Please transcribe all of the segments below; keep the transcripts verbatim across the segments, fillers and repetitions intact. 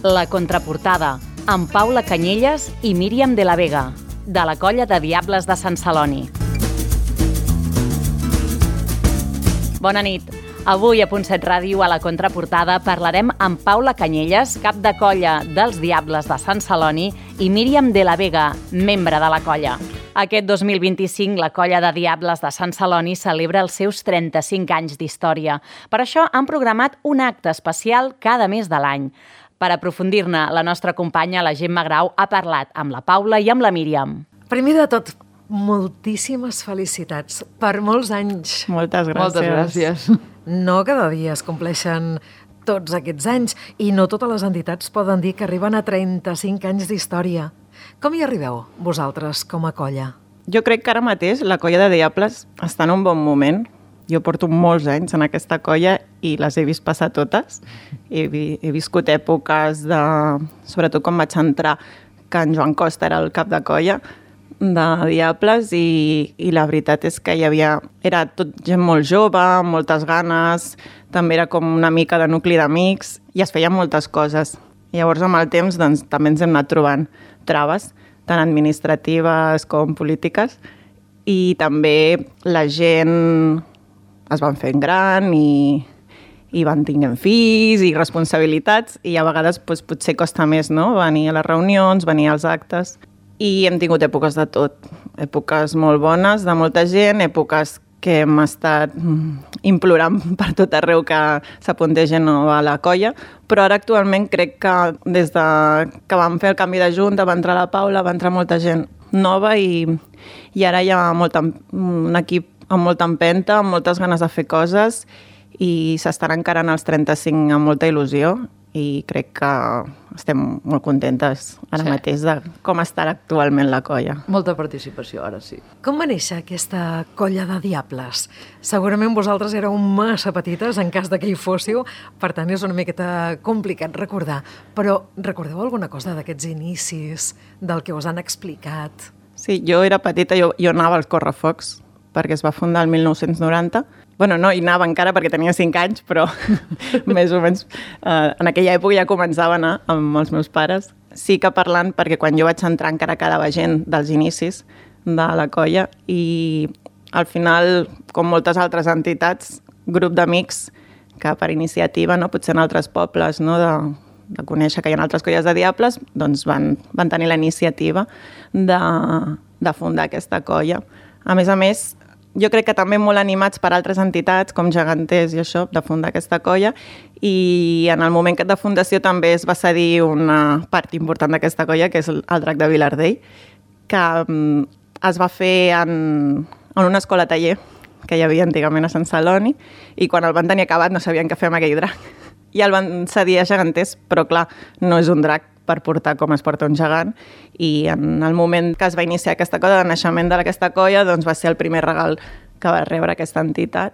La contraportada, amb Paula Canyelles i Míriam de la Vega, de la colla de Diables de Sant Celoni. Bona nit. Avui a Punt set Ràdio, a la contraportada, parlarem amb Paula Canyelles, cap de colla dels Diables de Sant Celoni, i Míriam de la Vega, membre de la colla. Aquest dos mil vint-i-cinc, la colla de Diables de Sant Celoni celebra els seus trenta-cinc anys d'història. Per això han programat un acte especial cada mes de l'any. Per aprofundir-ne, la nostra companya, la Gemma Grau, ha parlat amb la Paula i amb la Míriam. Primer de tot, moltíssimes felicitats per molts anys. Moltes gràcies. Moltes gràcies. No cada dia es compleixen tots aquests anys i no totes les entitats poden dir que arriben a trenta-cinc anys d'història. Com hi arribeu, vosaltres, com a colla? Jo crec que ara mateix la colla de Diables està en un bon moment. Jo porto molts anys en aquesta colla i les he vist passar totes. He, vi he viscut èpoques de... Sobretot quan vaig entrar, que en Joan Costa era el cap de colla de Diables i, i la veritat és que hi havia... Era tot gent molt jove, amb moltes ganes, també era com una mica de nucli d'amics i es feien moltes coses. Llavors, amb el temps, doncs, també ens hem anat trobant traves, tant administratives com polítiques, i també la gent es van fent gran i, i van tinguent fills i responsabilitats, i a vegades doncs, potser costa més, no?, venir a les reunions, venir als actes. I hem tingut èpoques de tot, èpoques molt bones de molta gent, èpoques que hem estat implorant per tot arreu que s'apuntés gent nova a la colla, però ara actualment crec que des de que vam fer el canvi de junta, va entrar la Paula, va entrar molta gent nova i, i ara hi ha molta, un equip amb molta empenta, amb moltes ganes de fer coses i s'estan encarant els trenta-cinc amb molta il·lusió i crec que estem molt contentes ara sí. mateix de com està actualment la colla. Molta participació, ara sí. Com va néixer aquesta colla de Diables? Segurament vosaltres éreu massa petites en cas de que hi fóssiu, per tant és una miqueta complicat recordar. Però recordeu alguna cosa d'aquests inicis, del que us han explicat? Sí, jo era petita, jo, jo anava als correfocs, perquè es va fundar el mil nou-cents noranta. Bueno, no hi anava encara perquè tenia cinc anys, però més o menys eh, en aquella època ja començava a anar amb els meus pares. Sí que parlant, perquè quan jo vaig entrar encara quedava gent dels inicis de la colla i al final, com moltes altres entitats, grup d'amics que per iniciativa, no, potser en altres pobles, no, de, de conèixer que hi ha altres colles de Diables, doncs van, van tenir la iniciativa de, de fundar aquesta colla. A més a més, jo crec que també molt animats per altres entitats, com Geganters i això, de fundar aquesta colla, i en el moment de fundació també es va cedir una part important d'aquesta colla, que és el, el Drac de Vilardell, que um, es va fer en, en una escola taller que hi havia antigament a Sant Celoni, i quan el van tenir acabat no sabien què fer amb aquell drac. I el van cedir a Geganters, però clar, no és un drac per portar com es porta un gegant, i en el moment que es va iniciar aquesta cosa de naixement d'aquesta colla, doncs va ser el primer regal que va rebre aquesta entitat.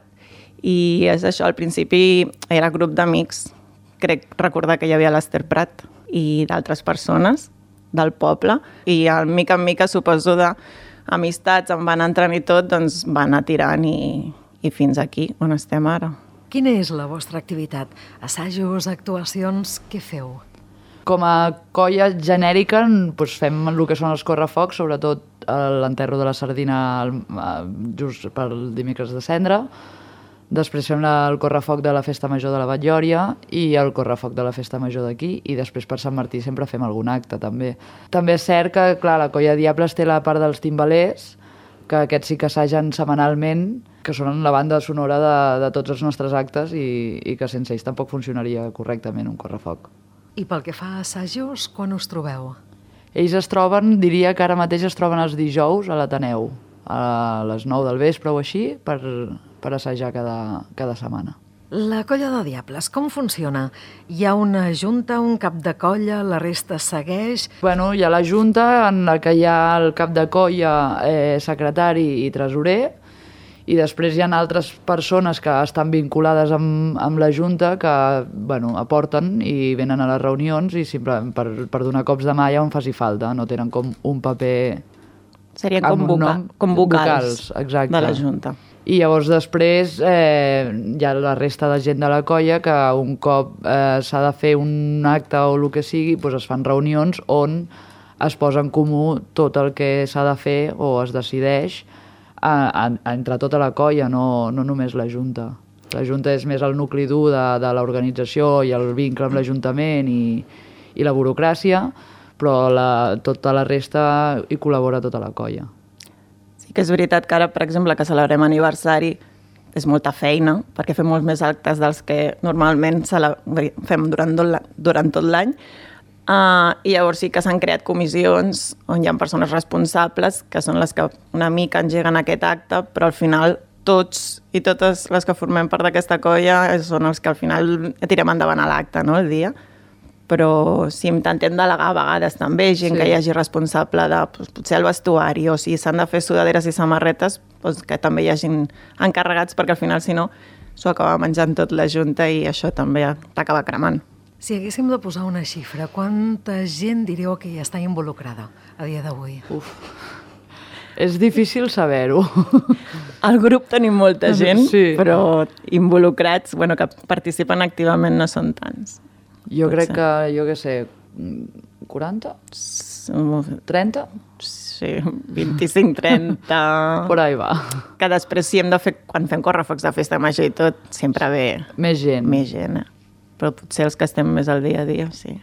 I és això, al principi era grup d'amics, crec recordar que hi havia l'Ester Prat i d'altres persones del poble, i al mica en mica, suposo, d'amistats em van entrant i tot, doncs va anar tirant i, i fins aquí, on estem ara. Quina és la vostra activitat? Assajos, actuacions, què feu? Com a colla genèrica doncs fem el que són els correfocs, sobretot l'enterro de la sardina just pel dimecres de Cendra. Després fem el correfoc de la Festa Major de la Batllòria i el correfoc de la Festa Major d'aquí, i després per Sant Martí sempre fem algun acte també. També és cert que clar, la colla de Diables té la part dels timbalers, que aquests sí que assagen setmanalment, que són la banda sonora de, de tots els nostres actes i, i que sense ells tampoc funcionaria correctament un correfoc. I pel que fa a assajos, quan us trobeu? Ells es troben, diria que ara mateix es troben els dijous a l'Ateneu, a les nou del vespre o així, per, per assajar cada, cada setmana. La colla de Diables, com funciona? Hi ha una junta, un cap de colla, la resta segueix? Bueno, hi ha la junta en la que hi ha el cap de colla, eh, secretari i tresorer, i després hi ha altres persones que estan vinculades amb, amb la Junta que bueno, aporten i venen a les reunions i sempre per, per donar cops de mà allà on faci falta, no tenen com un paper... Serien com, voca com vocals, vocals exacte. de la Junta. I llavors després eh, hi ha la resta de gent de la colla que un cop eh, s'ha de fer un acte o el que sigui, doncs es fan reunions on es posa en comú tot el que s'ha de fer o es decideix a, a, a entre tota la colla, no, no només la Junta. La Junta és més el nucli dur de, de l'organització i el vincle amb l'Ajuntament i, i la burocràcia, però la, tota la resta hi col·labora tota la colla. Sí que és veritat que ara, per exemple, que celebrem aniversari, és molta feina, perquè fem molts més actes dels que normalment fem durant tot l'any. Durant tot l'any. Uh, I llavors sí que s'han creat comissions on hi ha persones responsables, que són les que una mica engeguen aquest acte, però al final tots i totes les que formem part d'aquesta colla són els que al final tirem endavant a l'acte, no?, el dia. Però si intentem delegar a vegades també gent sí. que hi hagi responsable de doncs, potser el vestuari, o si s'han de fer sudaderes i samarretes, doncs, que també hi hagin encarregats, perquè al final, si no, s'ho acaba menjant tot la Junta i això també t'acaba cremant. Si haguéssim de posar una xifra, quanta gent diríeu que hi està involucrada a dia d'avui? Uf, és difícil saber-ho. Al grup tenim molta gent, sí. però involucrats, bueno, que participen activament no són tants. Jo crec que, jo què sé, quaranta? trenta? Sí, vint-i-cinc trenta... Por ahí va. Que després, si hem de fer, quan fem correfocs de festa major i tot, sempre ve... Més gent. Més gent, eh? Però potser els que estem més al dia a dia, sí.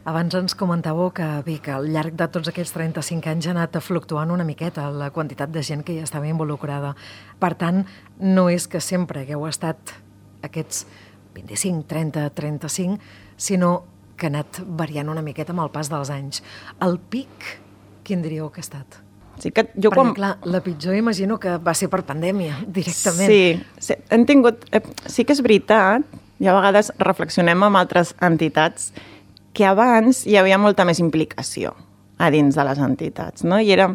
Abans ens comentàveu que, bé, que al llarg de tots aquests trenta-cinc anys ha anat fluctuant una miqueta la quantitat de gent que hi estava involucrada. Per tant, no és que sempre hagueu estat aquests vint-i-cinc, trenta, trenta-cinc, sinó que ha anat variant una miqueta amb el pas dels anys. El pic, quin diríeu que ha estat? Sí que jo Perquè, quan... clar, la pitjor imagino que va ser per pandèmia, directament. Sí, sí, hem tingut... Eh, sí que és veritat, i a vegades reflexionem amb altres entitats que abans hi havia molta més implicació a dins de les entitats, no? I era,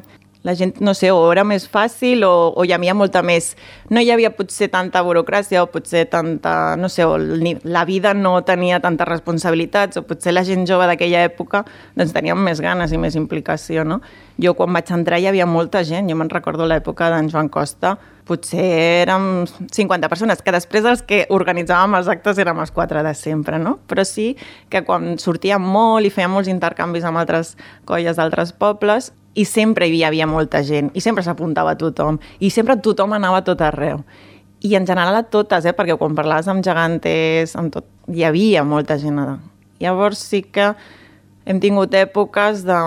la gent, no sé, o era més fàcil o, o hi havia molta més... No hi havia potser tanta burocràcia o potser tanta... No sé, o la vida no tenia tantes responsabilitats o potser la gent jove d'aquella època doncs teníem més ganes i més implicació, no? Jo quan vaig entrar hi havia molta gent, jo me'n recordo l'època d'en Joan Costa, potser érem cinquanta persones, que després els que organitzàvem els actes érem els quatre de sempre, no? Però sí que quan sortíem molt i fèiem molts intercanvis amb altres colles d'altres pobles, i sempre hi havia molta gent, i sempre s'apuntava tothom, i sempre tothom anava a tot arreu. I en general a totes, eh? Perquè quan parlaves amb gegantes, amb tot, hi havia molta gent. Llavors sí que hem tingut èpoques de...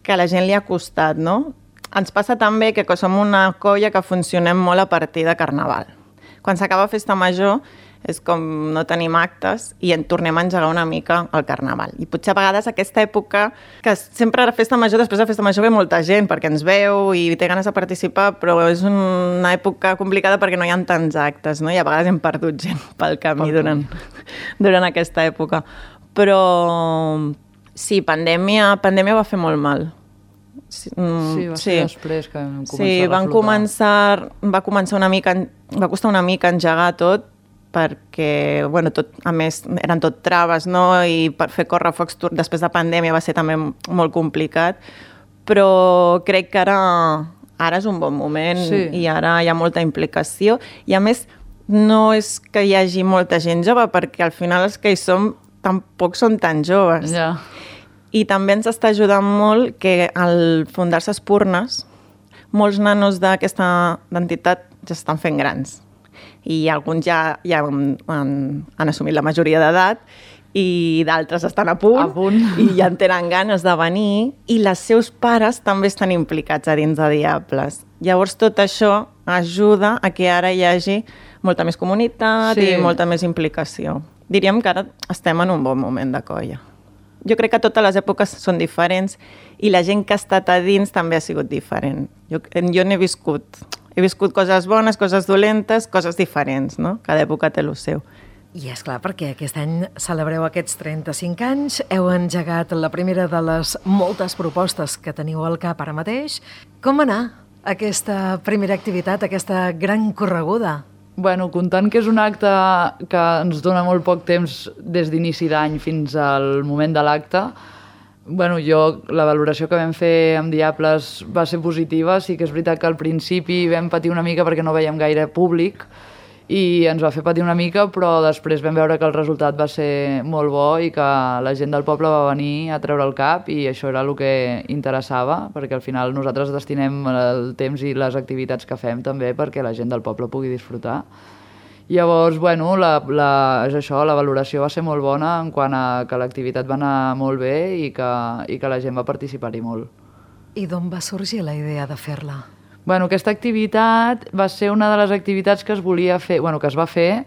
que a la gent li ha costat, no? Ens passa també que som una colla que funcionem molt a partir de Carnaval. Quan s'acaba Festa Major és com no tenim actes i en tornem a engegar una mica al Carnaval. I potser a vegades aquesta època, que sempre a Festa Major, després de Festa Major ve molta gent perquè ens veu i té ganes de participar, però és una època complicada perquè no hi ha tants actes, no? I a vegades hem perdut gent pel camí durant, durant aquesta època. Però sí, pandèmia, pandèmia va fer molt mal. Sí, sí, va ser sí. després que vam començar sí, a van començar, va començar una mica, va costar una mica engegar tot, perquè, bueno, tot, a més, eren tot traves, no? I per fer correfocs després de pandèmia va ser també molt complicat, però crec que ara, ara és un bon moment sí. i ara hi ha molta implicació. I a més, no és que hi hagi molta gent jove, perquè al final els que hi som tampoc són tan joves. Ja. I també ens està ajudant molt que al fundar-se Espurnes, molts nanos d'aquesta entitat ja estan fent grans. I alguns ja, ja han, han, han assumit la majoria d'edat i d'altres estan a punt, a punt i ja en tenen ganes de venir, i les seus pares també estan implicats a dins de Diables. Llavors tot això ajuda a que ara hi hagi molta més comunitat sí. i molta més implicació. Diríem que ara estem en un bon moment de colla. Jo crec que totes les èpoques són diferents i la gent que ha estat a dins també ha sigut diferent. Jo, jo n'he viscut, he viscut coses bones, coses dolentes, coses diferents, no? Cada època té el seu. I és clar, perquè aquest any celebreu aquests trenta-cinc anys, heu engegat la primera de les moltes propostes que teniu al cap ara mateix. Com va anar aquesta primera activitat, aquesta gran correguda? Bueno, comptant que és un acte que ens dona molt poc temps des d'inici d'any fins al moment de l'acte, Bueno, jo, la valoració que vam fer amb Diables va ser positiva. Sí que és veritat que al principi vam patir una mica perquè no veiem gaire públic i ens va fer patir una mica, però després vam veure que el resultat va ser molt bo i que la gent del poble va venir a treure el cap i això era el que interessava, perquè al final nosaltres destinem el temps i les activitats que fem també perquè la gent del poble pugui disfrutar. Llavors, bueno, la, la, és això, la valoració va ser molt bona en quant a que l'activitat va anar molt bé i que, i que la gent va participar-hi molt. I d'on va sorgir la idea de fer-la? Bueno, aquesta activitat va ser una de les activitats que es volia fer, bueno, que es va fer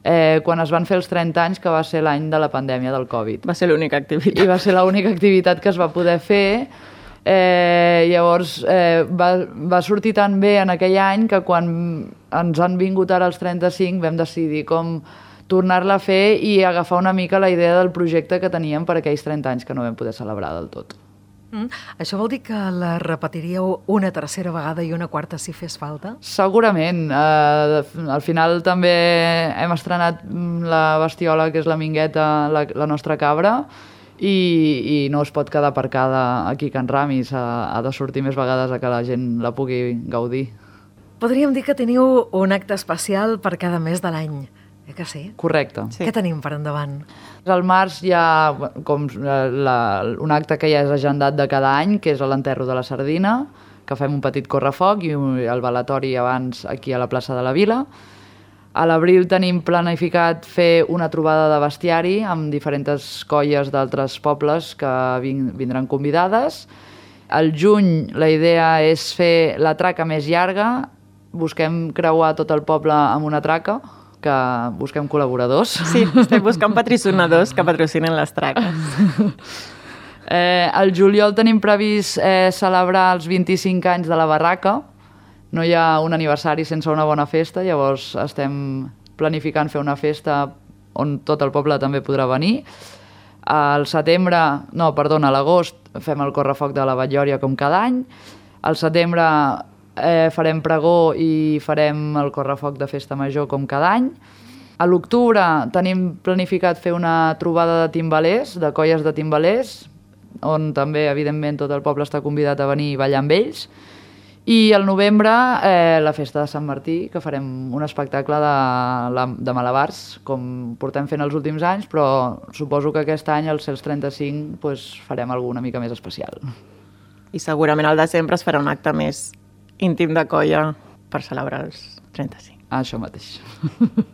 eh, quan es van fer els trenta anys, que va ser l'any de la pandèmia del Covid. Va ser l'única activitat. I va ser l'única activitat que es va poder fer. Eh, llavors eh, va, va sortir tan bé en aquell any que quan ens han vingut ara els trenta-cinc vam decidir com tornar-la a fer i agafar una mica la idea del projecte que teníem per aquells trenta anys que no vam poder celebrar del tot. Mm. Això vol dir que la repetiríeu una tercera vegada i una quarta si fes falta? Segurament. Eh, al final també hem estrenat la bestiola, que és la Mingueta, la, la nostra cabra, i, i no es pot quedar aparcada aquí a Can Ramis, ha, ha de sortir més vegades a que la gent la pugui gaudir. Podríem dir que teniu un acte especial per cada mes de l'any, eh que sí? Correcte. Sí. Què tenim per endavant? Al març hi ha com la, un acte que ja és agendat de cada any, que és l'enterro de la sardina, que fem un petit correfoc i el balatori abans aquí a la plaça de la Vila. A l'abril tenim planificat fer una trobada de bestiari amb diferents colles d'altres pobles que vindran convidades. Al juny la idea és fer la traca més llarga. Busquem creuar tot el poble amb una traca, que busquem col·laboradors. Sí, estem buscant patrocinadors que patrocinen les traques. eh, al juliol tenim previst eh, celebrar els vint-i-cinc anys de la barraca. No hi ha un aniversari sense una bona festa, llavors estem planificant fer una festa on tot el poble també podrà venir. Al setembre, no, perdona, a l'agost fem el correfoc de la Batllòria com cada any. Al setembre eh, farem pregó i farem el correfoc de festa major com cada any. A l'octubre tenim planificat fer una trobada de timbalers, de colles de timbalers, on també, evidentment, tot el poble està convidat a venir i ballar amb ells. I al novembre eh, la festa de Sant Martí, que farem un espectacle de, de malabars, com portem fent els últims anys, però suposo que aquest any, als els trenta-cinc, pues, farem alguna mica més especial. I segurament al desembre es farà un acte més íntim de colla per celebrar els trenta-cinc. Això mateix.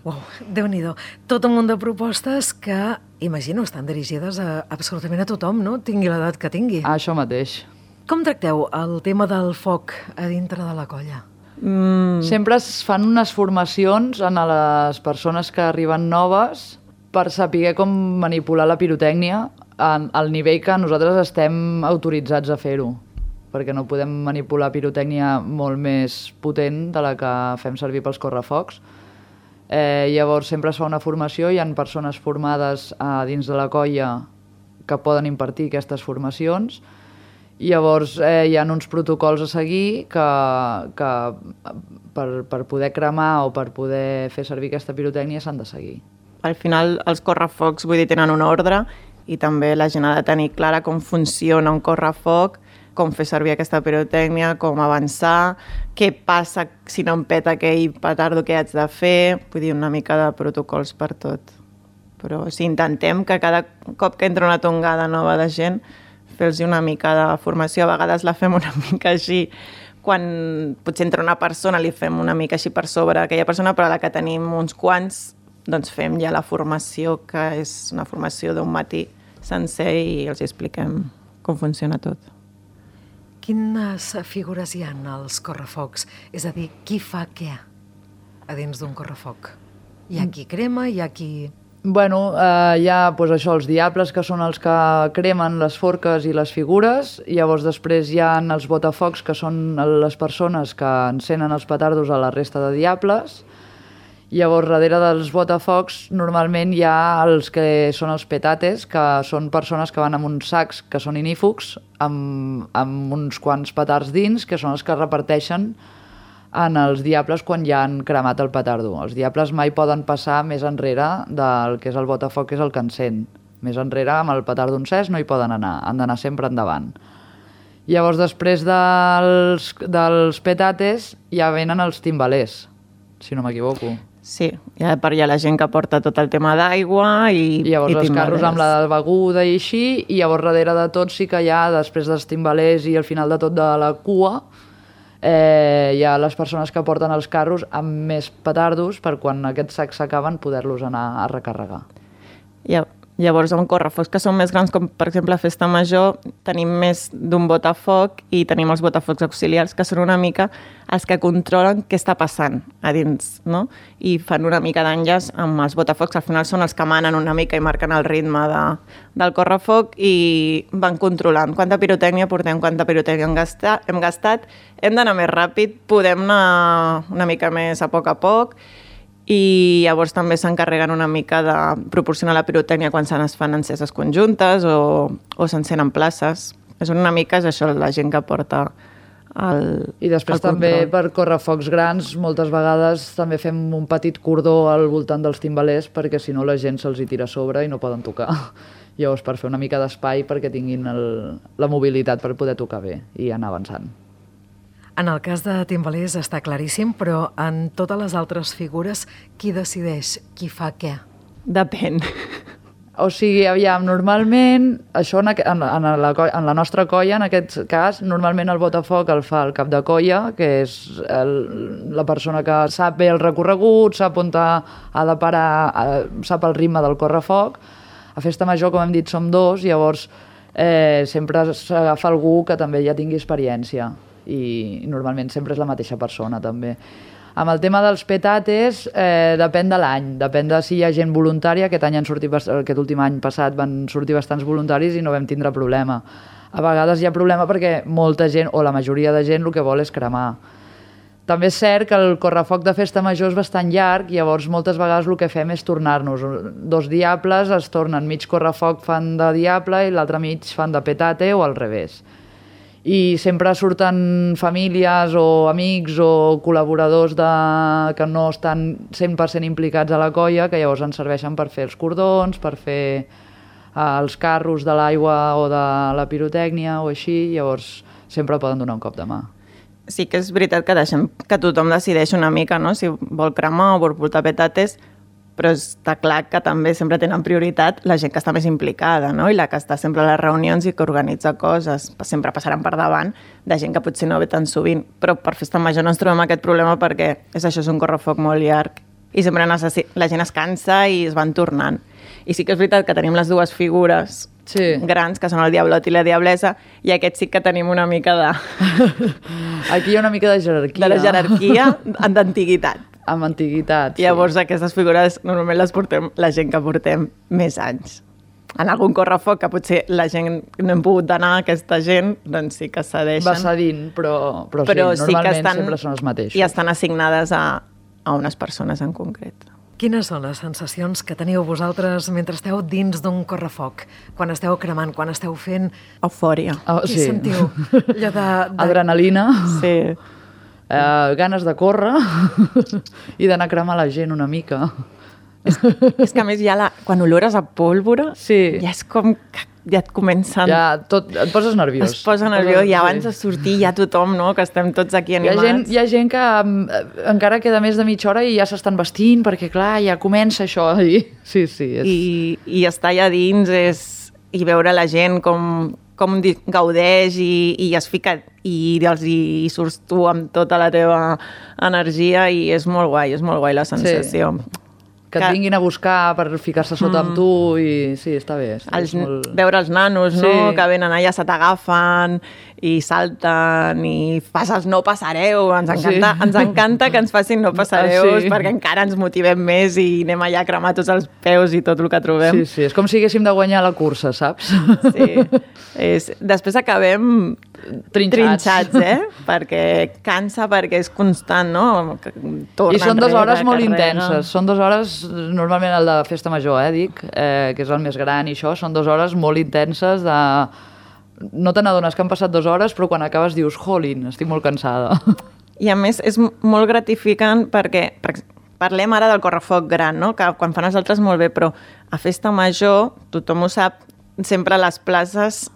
Uau, Déu-n'hi-do. Tot un munt de propostes que, imagino, estan dirigides a absolutament a tothom, no? Tingui l'edat que tingui. Això mateix. Com tracteu el tema del foc a dintre de la colla? Mm. Sempre es fan unes formacions a les persones que arriben noves per saber com manipular la pirotècnia al nivell que nosaltres estem autoritzats a fer-ho, perquè no podem manipular pirotècnia molt més potent de la que fem servir pels correfocs. Eh, llavors sempre es fa una formació, hi ha persones formades a dins de la colla que poden impartir aquestes formacions. Llavors eh, hi ha uns protocols a seguir que, que per, per poder cremar o per poder fer servir aquesta pirotècnia s'han de seguir. Al final els correfocs, vull dir, tenen un ordre i també la gent ha de tenir clara com funciona un correfoc, com fer servir aquesta pirotècnia, com avançar, què passa si no em peta aquell petardo que haig de fer, vull dir, una mica de protocols per tot. Però sí, intentem que cada cop que entra una tongada nova de gent fer-los una mica de formació, a vegades la fem una mica així, quan potser entra una persona li fem una mica així per sobre aquella persona, però a la que tenim uns quants, doncs fem ja la formació, que és una formació d'un matí sencer i els expliquem com funciona tot. Quines figures hi ha als correfocs? És a dir, qui fa què a dins d'un correfoc? Hi ha qui crema, hi ha qui... Bueno, eh, hi ha pues, això, els diables, que són els que cremen les forques i les figures, i llavors després hi ha els botafocs, que són les persones que encenen els petardos a la resta de diables. Llavors, darrere dels botafocs, normalment hi ha els que són els petates, que són persones que van amb uns sacs que són inífugs, amb, amb uns quants petards dins, que són els que reparteixen en els diables quan ja han cremat el petardo. Els diables mai poden passar més enrere del que és el botafoc, que és el que encén. Més enrere, amb el petard d'un cés, no hi poden anar, han d'anar sempre endavant. Llavors, després dels, dels petates, ja venen els timbalers, si no m'equivoco. Sí, ja per allà la gent que porta tot el tema d'aigua i, I llavors i els carros amb la beguda i així, i llavors darrere de tot sí que hi ha, després dels timbalers i al final de tot de la cua, eh, hi ha les persones que porten els carros amb més petardos per quan aquests sacs s'acaben poder-los anar a recarregar. Ja, llavors, amb correfocs que són més grans, com per exemple a Festa Major, tenim més d'un botafoc i tenim els botafocs auxiliars, que són una mica els que controlen què està passant a dins, no? I fan una mica d'enllaç amb els botafocs, al final són els que manen una mica i marquen el ritme de, del correfoc i van controlant quanta pirotècnia portem, quanta pirotècnia hem gastat, hem gastat, hem d'anar més ràpid, podem anar una mica més a poc a poc, i llavors també s'encarreguen una mica de proporcionar la pirotècnia quan se n'es fan enceses conjuntes o, o s'encenen places. És una mica és això, la gent que porta el I després el també control. per correfocs grans, moltes vegades també fem un petit cordó al voltant dels timbalers perquè si no la gent se'ls hi tira a sobre i no poden tocar. Llavors per fer una mica d'espai perquè tinguin el, la mobilitat per poder tocar bé i anar avançant. En el cas de timbalers està claríssim, però en totes les altres figures, qui decideix qui fa què? Depèn. O sigui, aviam, normalment, això en, en, en, la, en la nostra colla, en aquest cas, normalment el botafoc el fa el cap de colla, que és el, la persona que sap bé el recorregut, sap on ha, ha de parar, sap el ritme del correfoc. A Festa Major, com hem dit, som dos, llavors eh, sempre s'agafa algú que també ja tingui experiència. I normalment sempre és la mateixa persona també. Amb el tema dels petates eh, depèn de l'any, depèn de si hi ha gent voluntària. Aquest any han sortit, aquest últim any passat van sortir bastants voluntaris i no vam tindre problema. A vegades hi ha problema perquè molta gent, o la majoria de gent, el que vol és cremar. També és cert que el correfoc de Festa Major és bastant llarg, llavors moltes vegades el que fem és tornar-nos. Dos diables es tornen, mig correfoc fan de diable i l'altre mig fan de petate o al revés. I sempre surten famílies o amics o col·laboradors de... que no estan cent per cent implicats a la colla, que llavors ens serveixen per fer els cordons, per fer els carros de l'aigua o de la pirotècnia o així, llavors sempre poden donar un cop de mà. Sí que és veritat que deixem que tothom decideix una mica, no? Si vol cremar o vol portar petates, però està clar que també sempre tenen prioritat la gent que està més implicada, no? I la que està sempre a les reunions i que organitza coses. Sempre passaran per davant de gent que potser no ve tan sovint, però per Festa Major no ens trobem aquest problema perquè és això, és un correfoc molt llarg i sempre necessi... la gent es cansa i es van tornant. I sí que és veritat que tenim les dues figures sí. grans, que són el Diablot i la Diablessa, i aquest sí que tenim una mica de... Aquí hi ha una mica de jerarquia. De la jerarquia d'antiguitat. Amb antiguitat, sí. Llavors aquestes figures normalment les portem la gent que portem més anys. En algun correfoc que potser la gent no hem pogut anar, aquesta gent, doncs sí que cedeixen. Va cedint, però, però, però sí, normalment sí estan, sempre són els mateixos. I estan assignades a, a unes persones en concret. Quines són les sensacions que teniu vosaltres mentre esteu dins d'un correfoc? Quan esteu cremant, quan esteu fent... Eufòria. Oh, Què sí. sentiu? Allò de, de... Adrenalina. Sí. Uh, ganes de córrer i d'anar a cremar la gent una mica. És, és que a més ja la, quan olores a pólvora sí. ja és com que ja et comencen... Ja tot, et poses nerviós. Es posa nerviós i abans sí. de sortir ja tothom, no? Que estem tots aquí animats. Hi ha gent, hi ha gent que um, encara queda més de mitja hora i ja s'estan vestint perquè clar, ja comença això. I, sí, sí, és... I, i estar allà dins és... i veure la gent com... com gaudeix i, i es fica i, els, i surts tu amb tota la teva energia i és molt guai, és molt guai la sensació. Sí. Que et vinguin a buscar per ficar-se sota mm. amb tu i sí, està bé. Està els, molt... Veure els nanos, sí. no? Que venen allà, se t'agafen i salten i fas els no passareu. Ens encanta, sí. ens encanta que ens facin no passareus sí. perquè encara ens motivem més i anem allà a cremar tots els peus i tot el que trobem. Sí, sí, és com si haguéssim de guanyar la cursa, saps? Sí. És, després acabem trinxats, trinxats eh? Perquè cansa, perquè és constant, no? Torna I són dues hores molt carrega. intenses. Són dues hores, normalment el de Festa Major, eh, dic, eh, que és el més gran i això, són dues hores molt intenses de... No te n'adones que han passat dues hores, però quan acabes dius, jolín, estic molt cansada. I a més és molt gratificant perquè, per, parlem ara del correfoc gran, no? Que quan fan els altres molt bé, però a festa major, tothom ho sap, sempre a les places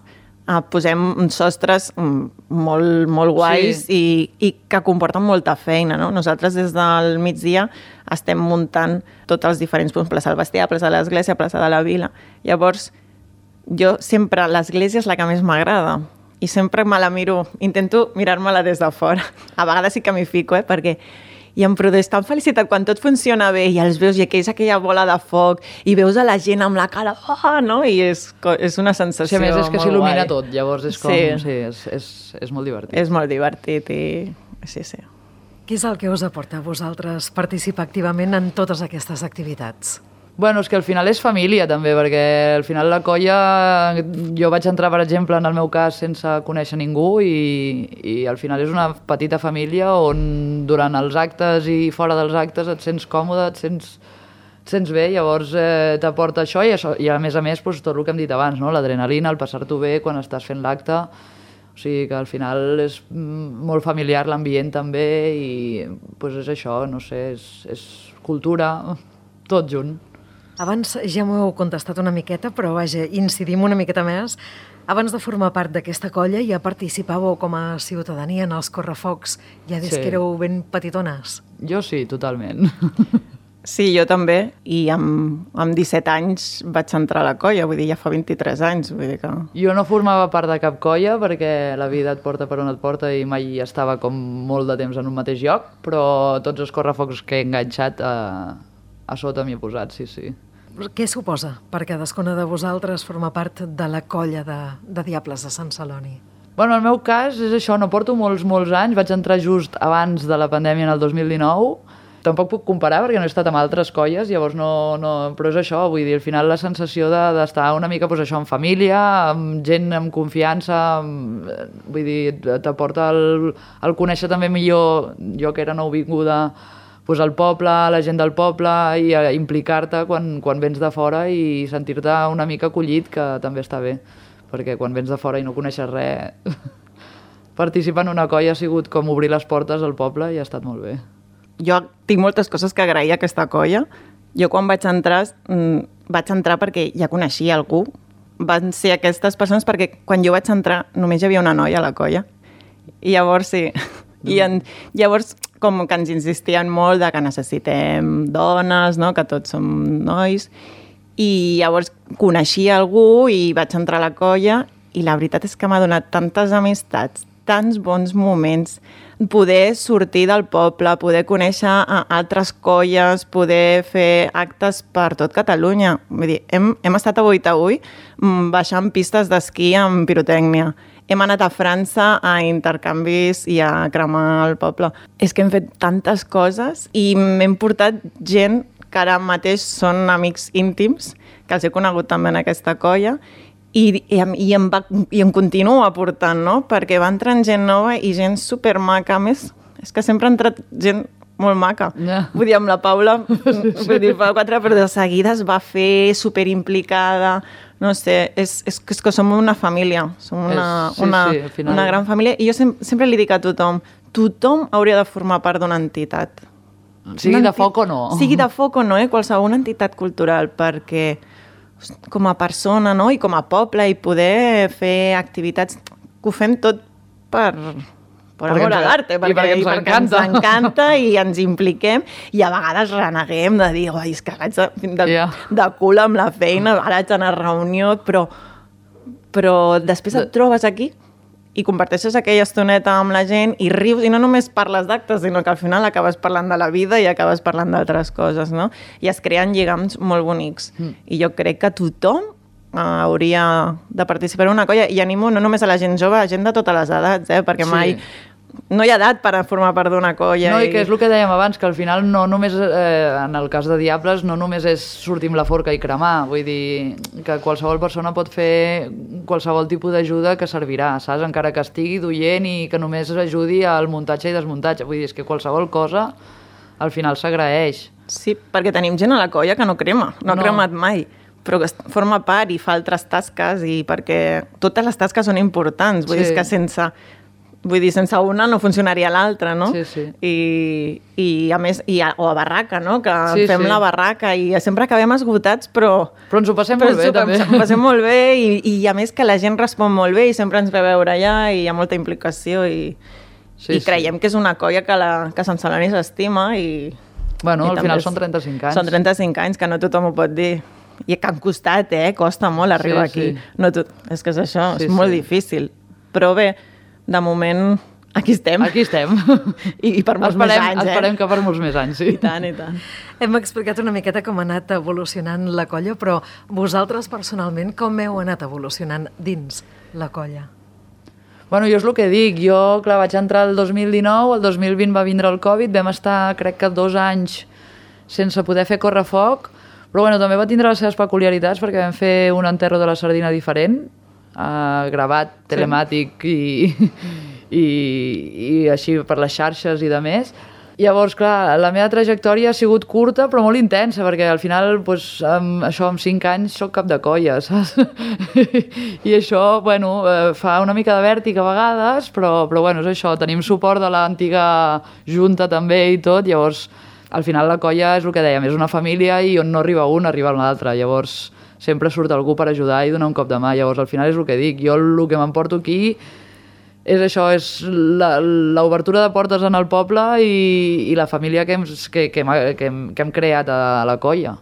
eh, posem uns sostres molt, molt guais sí. i, i que comporten molta feina, no? Nosaltres des del migdia estem muntant tots els diferents punts, plaça del Bestiar, plaça de l'Església, plaça de la Vila. Llavors, jo sempre, l'església és la que més m'agrada i sempre me la miro, intento mirar-me-la des de fora. A vegades sí que m'hi fico, eh, perquè i em produeix tan felicitat quan tot funciona bé i els veus i aquells aquella bola de foc i veus a la gent amb la cara, oh, no? I és, és una sensació sí, a més és que s'il·lumina tot, llavors és com, sí, sí és, és, és molt divertit. És molt divertit i sí, sí. Què és el que us aporta a vosaltres participar activament en totes aquestes activitats? Bueno, és que al final és família també, perquè al final la colla, jo vaig entrar, per exemple, en el meu cas sense conèixer ningú i, i al final és una petita família on durant els actes i fora dels actes et sents còmode, et sents, et sents bé, llavors eh, t'aporta això i, això, i a més a més doncs, tot el que hem dit abans, no? L'adrenalina, el passar-t'ho bé quan estàs fent l'acte, o sigui que al final és molt familiar l'ambient també i doncs és això, no sé, és, és cultura, tot junt. Abans ja m'ho heu contestat una miqueta, però vaja, incidim una miqueta més. Abans de formar part d'aquesta colla ja participàveu com a ciutadania en els correfocs, ja des sí. que éreu ben petitones. Jo sí, totalment. Sí, jo també, i amb, amb disset anys vaig entrar a la colla, vull dir, ja fa vint-i-tres anys. Vull dir que... Jo no formava part de cap colla perquè la vida et porta per on et porta i mai estava com molt de temps en un mateix lloc, però tots els correfocs que he enganxat a, a sota m'hi he posat, sí, sí. Què suposa per cadascuna de vosaltres formar part de la colla de, de Diables de Sant Celoni? Bueno, en el meu cas és això, no porto molts, molts anys, vaig entrar just abans de la pandèmia en el dos mil dinou, tampoc puc comparar perquè no he estat amb altres colles, llavors no, no... però és això, vull dir, al final la sensació d'estar de, una mica pues, això, en família, amb gent amb confiança, amb, vull dir, t'aporta el, el conèixer també millor, jo que era nouvinguda, pues, el poble, la gent del poble i implicar-te quan, quan vens de fora i sentir-te una mica acollit, que també està bé, perquè quan vens de fora i no coneixes res, participar en una colla ha sigut com obrir les portes al poble i ha estat molt bé. Jo tinc moltes coses que agrair a aquesta colla. Jo quan vaig entrar, vaig entrar perquè ja coneixia algú. Van ser aquestes persones perquè quan jo vaig entrar només hi havia una noia a la colla. I llavors sí... I en, llavors, com que ens insistien molt de que necessitem dones, no? Que tots som nois, i llavors coneixia algú i vaig entrar a la colla i la veritat és que m'ha donat tantes amistats, tants bons moments, poder sortir del poble, poder conèixer altres colles, poder fer actes per tot Catalunya. Vull dir, hem, hem estat a Boitaüll baixant pistes d'esquí amb pirotècnia. Hem anat a França a intercanvis i a cremar el poble. És que hem fet tantes coses i m'hem portat gent que ara mateix són amics íntims, que els he conegut també en aquesta colla, i, i, i, em, va, i em continuo aportant, no? Perquè va entrant gent nova i gent supermaca. A més, és que sempre ha entrat gent molt maca. Yeah. Vull dir, amb la Paula, vull dir, fa quatre, però de seguida es va fer superimplicada. No sé, és, és, és que som una família, som una, és, sí, una, sí, final... una gran família. I jo sem sempre li dic a tothom, tothom hauria de formar part d'una entitat. Sigui de foc o no. Sigui de foc o no, eh? Qualsevol entitat cultural, perquè com a persona, no? I com a poble, i poder fer activitats, que ho fem tot per... per amor a l'arte, perquè, perquè, ens, perquè ens encanta i ens impliquem, i a vegades reneguem de dir, oi, és que vaig de, de, yeah. de cul amb la feina, ara haig d'anar a reunió, però, però després et trobes aquí i comparteixes aquella estoneta amb la gent i rius, i no només parles d'actes, sinó que al final acabes parlant de la vida i acabes parlant d'altres coses, no? I es creen lligams molt bonics. Mm. I jo crec que tothom Uh, hauria de participar en una colla, i animo no només a la gent jove, a gent de totes les edats, eh? Perquè mai sí. no hi ha edat per a formar part d'una colla. No, i... i que és el que dèiem abans, que al final no només, eh, en el cas de Diables, no només és sortir amb la forca i cremar, vull dir que qualsevol persona pot fer qualsevol tipus d'ajuda que servirà, saps? Encara que estigui duient i que només ajudi al muntatge i desmuntatge, vull dir, és que qualsevol cosa al final s'agraeix. Sí, perquè tenim gent a la colla que no crema, no ha no. cremat mai, però que forma part i fa altres tasques, i perquè totes les tasques són importants, vull sí. dir que sense Vull dir, sense una no funcionaria l'altra, no? Sí, sí. I, i a més, i a, o a barraca, no? Que Sí, fem sí. la barraca i sempre acabem esgotats, però... Però ens ho passem però molt bé, ens ho també. Ens ho passem molt bé i, i a més que la gent respon molt bé i sempre ens ve a veure allà i hi ha molta implicació i, Sí, i creiem que és una colla que, la, que Sant Celoni s'estima i... Bueno, i al també final és- són trenta-cinc anys. Són trenta-cinc anys, que no tothom ho pot dir. I que han costat, eh? Costa molt arribar Sí, sí. aquí. No tot... És que és això, Sí, és molt sí. difícil. Però bé, de moment, aquí estem. Aquí estem. I, i per molts esperem, més anys, eh? Esperem que per molts més anys, sí. I tant, i tant. Hem explicat una miqueta com ha anat evolucionant la colla, però vosaltres personalment com heu anat evolucionant dins la colla? Bueno, jo és el que dic, jo, clar, vaig entrar el dos mil dinou, el dos mil vint va vindre el Covid, vam estar, crec que dos anys sense poder fer correfoc, però bueno, també va tindre les seves peculiaritats perquè vam fer un enterro de la sardina diferent, eh, gravat, telemàtic i, i, i així per les xarxes i de més. Llavors, clar, la meva trajectòria ha sigut curta però molt intensa, perquè al final, doncs, amb, això, amb cinc anys soc cap de colla, saps? I això, bueno, eh, fa una mica de vèrtic a vegades, però, però bueno, és això, tenim suport de l'antiga junta també i tot, llavors, al final la colla és el que dèiem, és una família i on no arriba un, arriba l'altre, llavors sempre surt algú per ajudar i donar un cop de mà, llavors al final és el que dic, jo el que m'emporto aquí és això, és l'obertura de portes en el poble i, i la família que hem, que, que, hem, que, hem, que hem creat a la colla.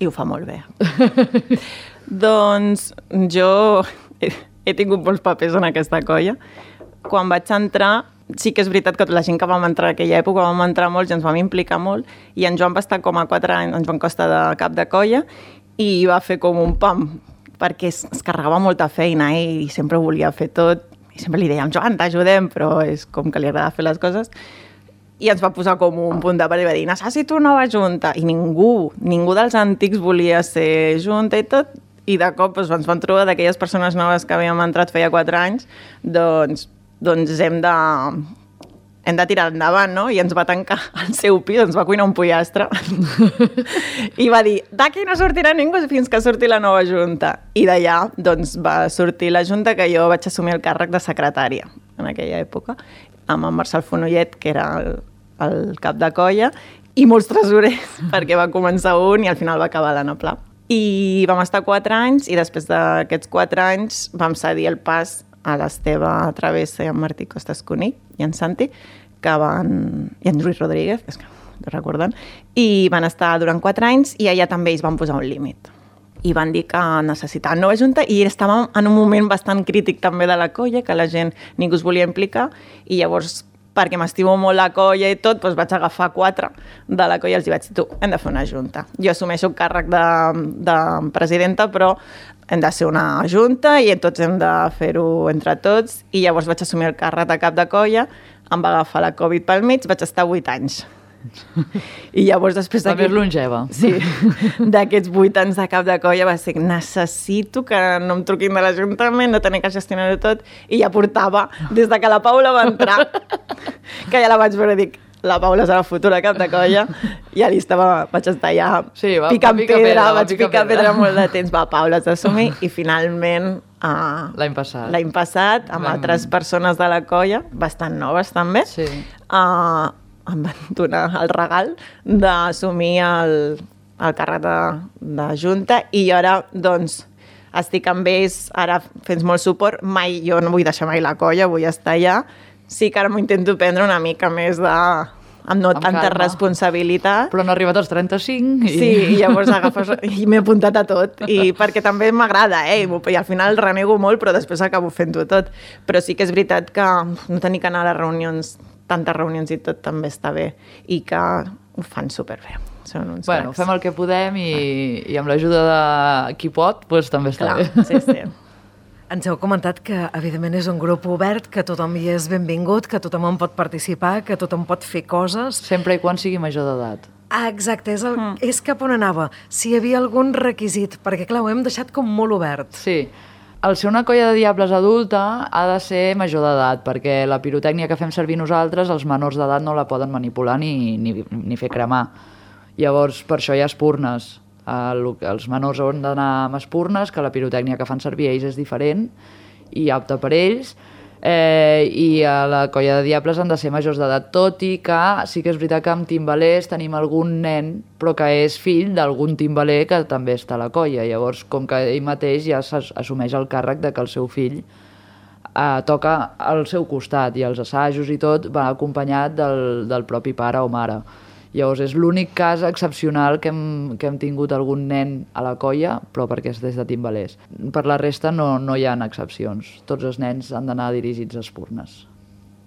I ho fa molt bé. Doncs jo he, he tingut molts papers en aquesta colla. Quan vaig entrar, sí que és veritat que la gent que vam entrar en aquella època vam entrar molts i ens vam implicar molt i en Joan va estar com a quatre anys, en Joan Costa de cap de colla i va fer com un pam perquè es, es carregava molta feina eh, i sempre volia fer tot i sempre li dèiem, Joan, t'ajudem, però és com que li agrada fer les coses. I ens va posar com un punt de part i va dir, necessito una nova junta. I ningú, ningú dels antics volia ser junta i tot. I de cop doncs, ens vam trobar d'aquelles persones noves que havíem entrat feia quatre anys, doncs, doncs hem de... hem de tirar endavant, no? I ens va tancar al seu pis, ens va cuinar un pollastre. I va dir, d'aquí no sortirà ningú fins que surti la nova junta. I d'allà, doncs, va sortir la junta que jo vaig assumir el càrrec de secretària en aquella època, amb en Marcel Fonollet, que era el, el cap de colla, i molts tresorers, perquè va començar un i al final va acabar l'Anna Pla. I vam estar quatre anys, i després d'aquests quatre anys vam cedir el pas a l'Esteve Travessa i en Martí Costas Cunill i en Santi, que van... i en Lluís Rodríguez, és que no recorden, i van estar durant quatre anys i allà també ells van posar un límit. I van dir que necessitaven nova junta i estàvem en un moment bastant crític també de la colla, que la gent ningú es volia implicar, i llavors, perquè m'estimo molt la colla i tot, doncs vaig agafar quatre de la colla i els vaig dir, tu, hem de fer una junta. Jo assumeixo el càrrec de, de presidenta, però hem de ser una junta i tots hem de fer-ho entre tots. I llavors vaig assumir el càrrec de cap de colla, em va agafar la Covid pel mig, vaig estar vuit anys. I llavors després La més longeva. Sí, d'aquests vuit anys de cap de colla va ser necessito que no em truquin de l'Ajuntament, no tenir que gestionar-ho tot, i ja portava, des de que la Paula va entrar, que ja la vaig veure i dic, la Paula serà futura cap de colla, i ja li estava, vaig estar ja sí, va, picant pica pedra, pedra, vaig pica picar pedra. pedra pedra molt de temps, va, Paula, has d'assumir, i finalment... Uh, L'any passat. L'any passat, amb Vam... altres persones de la colla, bastant noves també, sí. uh, em van donar el regal d'assumir el, el càrrec de, de junta i jo ara, doncs, estic amb ells, ara fent molt suport, mai, jo no vull deixar mai la colla, vull estar allà, sí que ara m'ho intento prendre una mica més de... amb no amb tanta calma. Responsabilitat. Però no ha arribat als trenta-cinc. I... Sí, i llavors agafes... I m'he apuntat a tot, i perquè també m'agrada, eh? I al final renego molt, però després acabo fent-ho tot. Però sí que és veritat que no tenir que anar a les reunions, tantes reunions i tot també està bé, i que ho fan superbé. Són uns bueno, cracs. Fem el que podem i, i amb l'ajuda de qui pot, doncs també està Clar, bé. sí, sí. Ens heu comentat que, evidentment, és un grup obert, que tothom hi és benvingut, que tothom en pot participar, que tothom pot fer coses. Sempre i quan sigui major d'edat. Ah, exacte, és, el, mm. és cap on anava. Si hi havia algun requisit, perquè, clar, ho hem deixat com molt obert. Sí. El ser una colla de diables adulta ha de ser major d'edat, perquè la pirotècnia que fem servir nosaltres, els menors d'edat no la poden manipular ni, ni, ni fer cremar. Llavors, per això hi ha espurnes. El, els menors han d'anar amb espurnes, que la pirotècnia que fan servir ells és diferent i apta per ells. Eh, I a la colla de Diables han de ser majors d'edat, tot i que sí que és veritat que amb timbalers tenim algun nen, però que és fill d'algun timbaler que també està a la colla. Llavors, com que ell mateix ja s'assumeix el càrrec de que el seu fill eh, toca al seu costat, i els assajos i tot va acompanyat del, del propi pare o mare. Llavors és l'únic cas excepcional que hem, que hem tingut algun nen a la colla, però perquè és des de timbalers. Per la resta no, no hi ha excepcions. Tots els nens han d'anar dirigits a espurnes.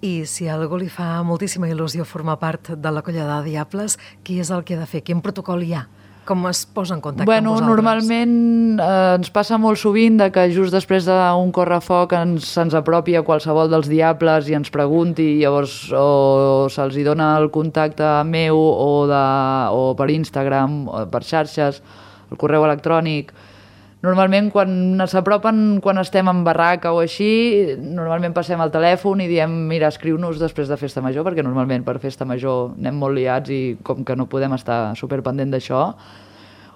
I si a algú li fa moltíssima il·lusió formar part de la colla de Diables, qui és el que ha de fer? Quin protocol hi ha? Com es posa en contacte bueno, amb vosaltres? Normalment eh, ens passa molt sovint de que just després d'un correfoc ens, se'ns apropi a qualsevol dels Diables i ens pregunti, llavors o se'ls hi dona el contacte meu o, de, o per Instagram, o per xarxes, el correu electrònic. Normalment quan s'apropen, quan estem en barraca o així, normalment passem al telèfon i diem, mira, escriu-nos després de Festa Major, perquè normalment per Festa Major anem molt liats i com que no podem estar superpendent d'això.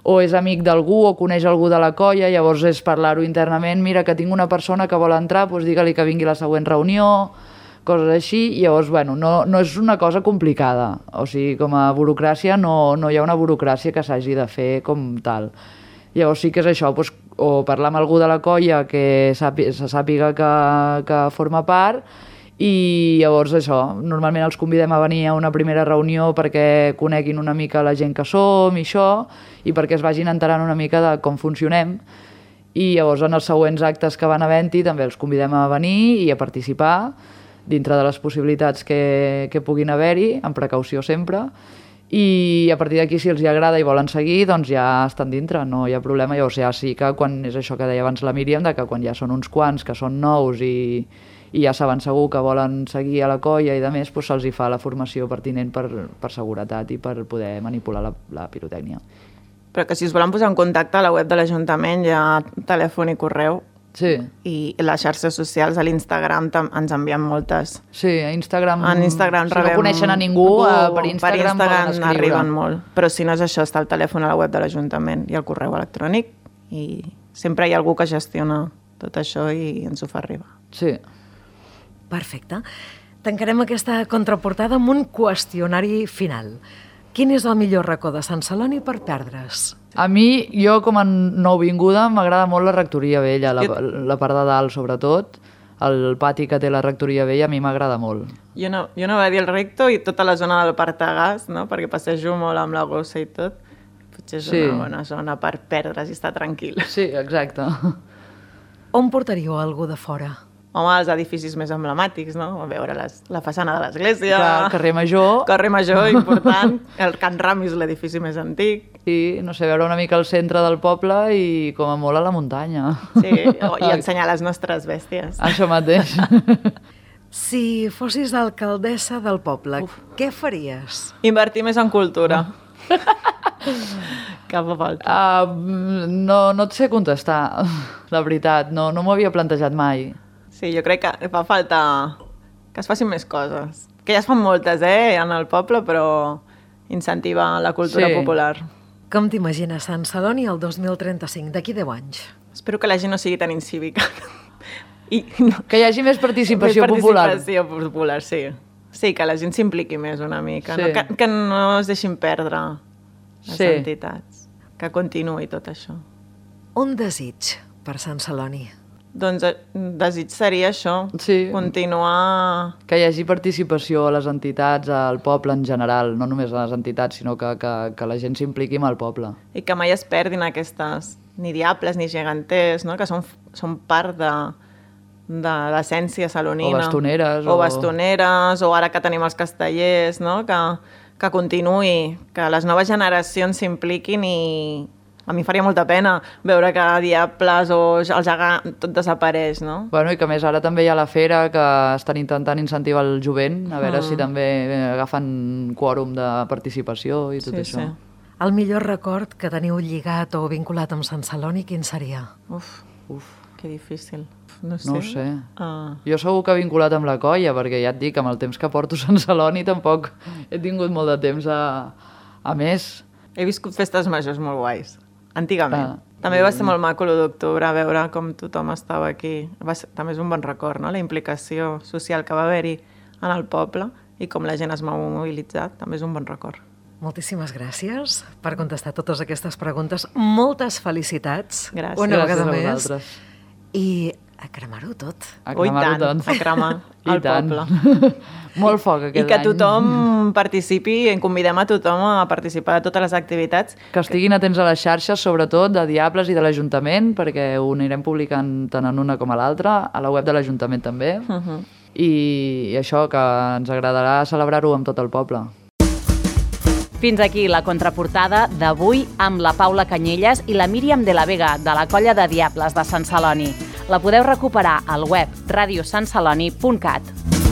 O és amic d'algú o coneix algú de la colla, llavors és parlar-ho internament, mira, que tinc una persona que vol entrar, doncs digue-li que vingui a la següent reunió, coses així. Llavors, bueno, no, no és una cosa complicada. O sigui, com a burocràcia no, no hi ha una burocràcia que s'hagi de fer com tal. Llavors sí que és això, doncs, o parlar amb algú de la colla que sàpiga, se sàpiga que, que forma part, i llavors això, normalment els convidem a venir a una primera reunió perquè coneguin una mica la gent que som i això, i perquè es vagin enterant una mica de com funcionem, i llavors en els següents actes que van havent-hi també els convidem a venir i a participar dintre de les possibilitats que, que puguin haver-hi, amb precaució sempre. I a partir d'aquí, si els hi agrada i volen seguir, doncs ja estan dintre, no hi ha problema. Llavors ja sí que quan és això que deia abans la Míriam, de que quan ja són uns quants que són nous i, i ja saben segur que volen seguir a la colla i de més, doncs se'ls hi fa la formació pertinent per, per seguretat i per poder manipular la, la pirotècnia. Però que si us volen posar en contacte a la web de l'Ajuntament hi ha telèfon i correu. Sí. I les xarxes socials, a l'Instagram ens envien moltes. Sí, a Instagram, en Instagram si rebem... no coneixen a ningú, ningú uh, per Instagram, per Instagram poden escriure. Arriben molt. Però si no és això, està el telèfon a la web de l'Ajuntament i el correu electrònic, i sempre hi ha algú que gestiona tot això i ens ho fa arribar. Sí. Perfecte. Tancarem aquesta contraportada amb un qüestionari final. Quin és el millor racó de Sant Celoni per perdre's? A mi, jo com a nouvinguda, m'agrada molt la rectoria vella, la, la part de dalt sobretot, el pati que té la rectoria vella a mi m'agrada molt. Jo no, jo no vaig dir el recto i tota la zona del Partagàs, no? Perquè passejo molt amb la gossa i tot. Potser és sí. Una bona zona per perdre's i estar tranquil. Sí, exacte. On portaríeu algú de fora? Home, els edificis més emblemàtics, no? A veure les, la façana de l'església... Clar, carrer Major... Carrer Major, important. El Can Ramis, l'edifici més antic. Sí, no sé, veure una mica el centre del poble i com a molt a la muntanya. Sí, i ensenyar les nostres bèsties. Això mateix. Si fossis alcaldessa del poble, Uf. Què faries? Invertir més en cultura. Cap a falta. Uh, no, no et sé contestar, la veritat. No, no m'ho havia plantejat mai. Sí, jo crec que fa falta que es facin més coses. Que ja es fan moltes, eh, en el poble, però incentivar la cultura sí. popular. Com t'imagines Sant Celoni el dos mil trenta-cinc, d'aquí deu anys? Espero que la gent no sigui tan incívica. I no, que hi hagi més participació, més popular. participació popular. Sí. Sí, que la gent s'impliqui més una mica. Sí. No? Que, que no es deixin perdre les sí. entitats. Que continuï tot això. Un desig per Sant Celoni? Doncs desig seria això, sí. continuar... Que hi hagi participació a les entitats, al poble en general, no només a les entitats, sinó que, que, que la gent s'impliqui amb el poble. I que mai es perdin aquestes, ni diables ni geganters, no? Que són, són part de, de l'essència salonina. O bastoneres. O, o bastoneres, o ara que tenim els castellers, no? Que, que continuï, que les noves generacions s'impliquin i... A mi faria molta pena veure que diables o el gegant tot desapareix, no? Bueno, i que més ara també hi ha la fera que estan intentant incentivar el jovent, a veure mm. si també agafen quòrum de participació i tot sí, això. Sí. El millor record que teniu lligat o vinculat amb Sant Celoni, quin seria? Uf, uf, que difícil. No sé. No ho sé. Ah. Jo segur que vinculat amb la colla, perquè ja et dic, amb el temps que porto a Sant Celoni tampoc he tingut molt de temps a, a més. He viscut festes majors molt guais. Antigament. Ah. També va ser molt maco l'u d'octubre, veure com tothom estava aquí. Va ser, també és un bon record, no? La implicació social que va haver-hi en el poble i com la gent es va mobilitzar, també és un bon record. Moltíssimes gràcies per contestar totes aquestes preguntes. Moltes felicitats. Gràcies. Una Gràcies vegada a més. vosaltres. I a cremar-ho tot. A Ui, cremar-ho tant, tot. a cremar el poble. Molt foc I aquest que any. tothom participi, en convidem a tothom a participar de totes les activitats. Que estiguin atents a les xarxes, sobretot de Diables i de l'Ajuntament, perquè ho anirem publicant tant en una com a l'altra, a la web de l'Ajuntament també. Uh -huh. I, I això, que ens agradarà celebrar-ho amb tot el poble. Fins aquí la contraportada d'avui amb la Paula Canyelles i la Míriam de la Vega, de la Colla de Diables de Sant Celoni. La podeu recuperar al web radio sant celoni punt cat.